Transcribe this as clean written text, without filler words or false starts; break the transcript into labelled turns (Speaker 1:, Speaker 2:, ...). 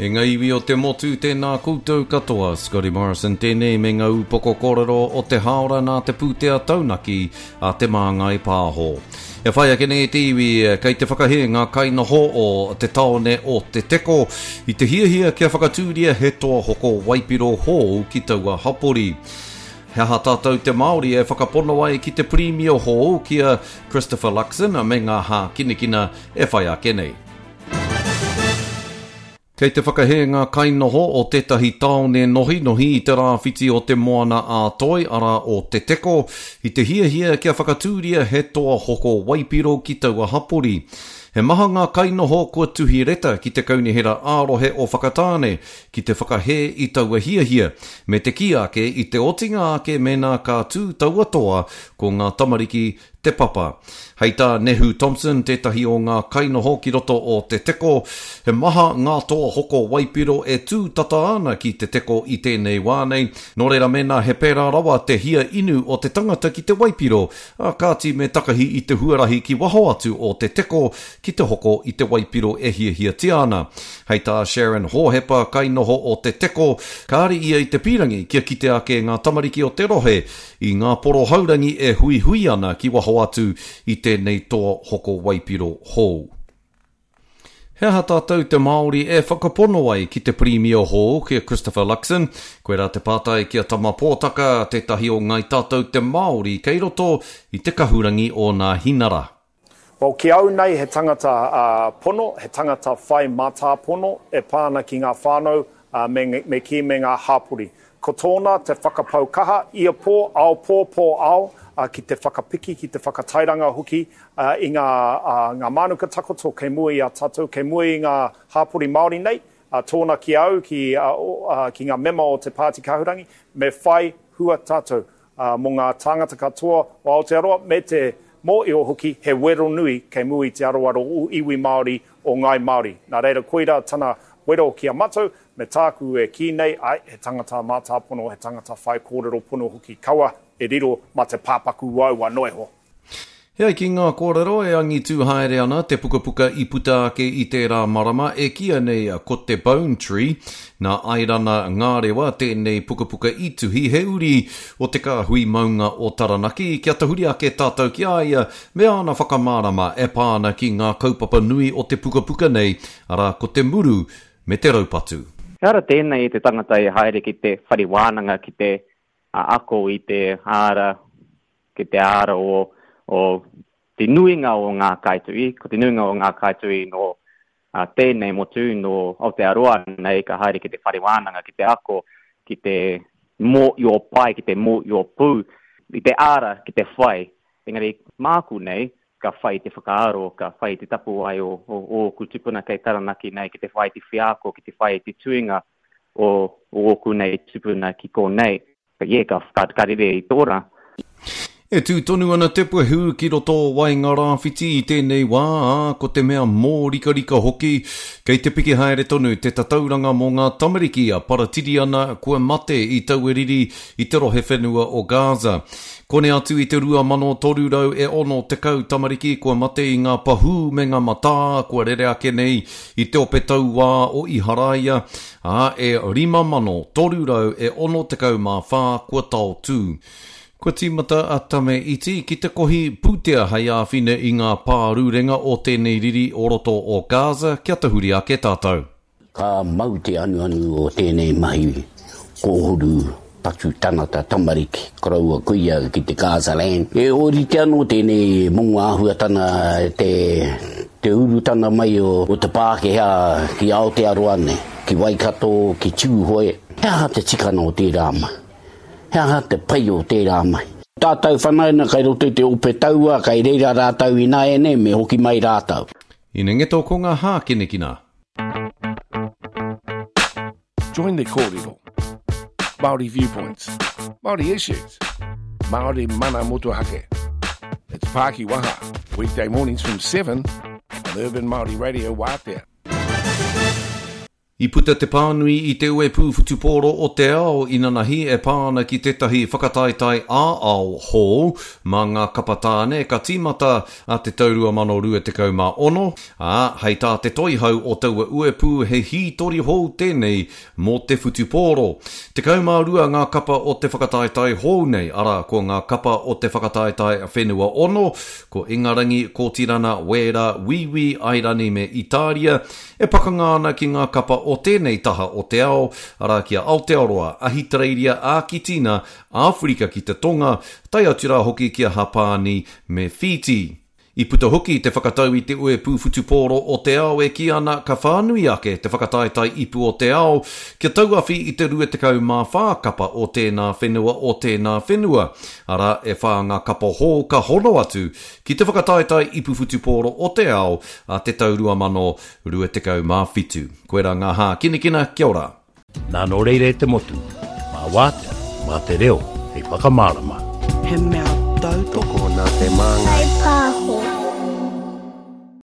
Speaker 1: E ngā iwi o te motu, tēnā koutou katoa. Scotty Morrison tēnei me ngā ūpoko kōrero o te hāora nā te pūtea taunaki a Te Māngai Pāho. E whai ake nei te iwi, kei te whakahē ngā kainoho o te taone o Te Teko i te hiahia kia whakatūria he toa hoko waipiro hou ki taua hapori. He aha tātou te Māori e whakapono ai ki te Pirimia hou ki a Christopher Luxon me ngā hākinakina e whai ake nei? Kei te whakahē ngā kainoho o tētahi tāone nohinohi i te rāwhiti o Te Moana-a-Toi, arā o Te Teko, i te hiahia kia whakatūria he toa hoko waipiro ki taua hapori. He maha ngā kainoho kua tuhi reta ki te Kaunihera ā-Rohe o Whakatāne ki te whakahē i taua hiahia, me te kī ake i te otinga ake mēnā ka tū taua toa ko ngā tamariki Te Papa. Hei tā Nehu Thompson, tētahi o ngā kainoho ki roto o Te Teko, he maha ngā toa hoko waipiro e tū tata ana ki Te Teko i tēnei wā nei, nō reira mēnā he pērā rawa te hia inu o te tangata ki te waipiro, ā kāti me takahi i te huarahi ki waho atu o Te Teko ki te hoko i te waipiro e hiahiatia ana. Hei tā Sharon Hōhepa, kainoho o Te Teko, kāre ia i te pīrangi kia kite ake ngā tamariki o te rohe I ngā poro haurangi e huihui ana ki waho atu i tēnei toa hoko waipiro hou. He aha tātou te Māori e whakapono ai ki te Pirimia hou, ki a Christopher Luxon? Koirā te pātai ki a Tama Pōtaka, tētahi o Ngāi Tātou te Māori kei roto i te kahurangi o Nāhinara.
Speaker 2: Well, ki au nei he tangata pono, he tangata whai mātāpono e pā ana ki ngā whānau me, me kī me ngā hāpori. Ko tōna te whakapau kaha ia pō, ao pō, pō ao, ki te whakapiki, ki te whakatairanga hoki i ngā, ngā mānuka takoto kei mua i a tātou, kei mua i ngā hāpori Māori nei, tōna ki au, ki, ki ngā mema o te Pāti Kahurangi, me whai hua tātou. ā, mō ngā tāngata katoa o Aotearoa, me te mōio hoki he wero nui kei mua i te aroaro o iwi Māori, o Ngāi Māori. Nā reira, koirā tana wero ki a matou, me tāku e kī nei, āe, he tangata mātāpono, he tangata whai kōrero pono hoki, kaua e riro mā te pāpaku uaua noa iho.
Speaker 1: E ai ki ngā kōrero e angitū haere ana te pukapuka i puta ake i tērā marama e kīia nei ko te Bone Tree. Nā Airana Ngārewa tēnei pukapuka i tuhi, he uri o te kāhui maunga o Taranaki, kia tahuri ake tātou ki a ia me āna whakamārama e pā ana ki ngā kaupapa nui o te pukapuka nei, arā ko te muru me te raupatu.
Speaker 3: He ara tēnei i te tangata e haere ki te whare wānanga ki te ako i te ara ki te āra o, o te nuinga o ngā kaituhi, ko te nuinga o ngā kaituhi nō uh, tēnei motu, nō Aotearoa nei, ka haere ki te whare wānanga, ki te ako, ki te mōio pai, ki te mōio pū, i te āra ki te whai. Engari, māku nei, ka whai te whakaaro, ka whai te tapuwae o, o, o ōku tupuna kei Taranaki nei, ki te whai te wheako, ki te whai te tuinga o, o ōku nei tupuna ki konei. Yeah, ka, ka, ka rere i tō rā.
Speaker 1: E tū tonu ana te puehu ki roto o Waengarāwhiti i tēnei wā, ā, ko te mea mōrikarika hoki, kei te piki haere tonu te tatauranga mō ngā tamariki a Paratiriana kua mate i taua riri i te rohe whenua o Gaza. Kone atu i te 2,300 e 60 tamariki kua mate i ngā pahū me ngā matā kua rere ake nei i te ope tauā o Iharaia, ā, e 5,364 kua taotū. Kua tīmata a Tame Iti ki te kohi pūtea hei āwhina i ngā pārurenga o tēnei riri o roto o Gaza kia tahuri ake tātou.
Speaker 4: Ka mau te anuanu o tēnei mahi kōhuru patu tangata tamariki koroua kuia ki te Gaza land. E ōrite anō tēnei momo āhuatanga te te urutanga mai o te Pākehā ki Aotearoa nei, ki Waikato, ki Tūhoe. He aha te tikanga o tērā mahi? He aha te pai o tērā mahi? Tātou whanaunga kei roto i te ope taua, kei reira rātou ināianei, me hoki mai rātou.
Speaker 1: Inengeto ko ngā hākinakina.
Speaker 5: Join the kōrero. Māori viewpoints. Māori issues. Māori mana motuhake. It's Pāki Waha, weekday mornings from 7 on Urban Māori Radio Wātea.
Speaker 1: I I puta te pānui i te Uepū Whutupōro o te Ao inanahi e pā ana ki tētahi whakataetae ā-ao hou mā ngā kapa tāne ka tīmata a te tau 2026, ā, hei tā te toihau o taua uepū he hītori hou tēnei mō te whutupōro. 12 ngā kapa o te whakataetae hou nei, arā, ko ngā kapa o te whakataetae Whenua Ono, ko Ingarangi, Kōtirana, Wēra, Wīwī, Airani me Itāria, e pakanga ana ki ngā kapa o tēnei taha o te ao, arā, ki a Aotearoa, Ahitereiria, Ākitina, Āwherika ki te Tonga, tae atu rā hoki ki a Hapāni me Whītī. I puta hoki te whakatau i te Uepū Whutupōro o te Ao e kī ana ka whānui ake te whakataetae ipu o te ao kia tauawhi i te 24 kapa o tēnā whenua o tēnā whenua, arā, e whā ngā kapa hou ka hono atu ki te whakataetae ipu whutupōro o te ao a te tau 2027. Koirā ngā hākinakina, kia ora!
Speaker 5: Nā nō reira e te motu, mā wātea, mā te reo hei whakamārama.
Speaker 6: He mea tautoko.
Speaker 7: Tokona te māngai.
Speaker 8: Whai pāho.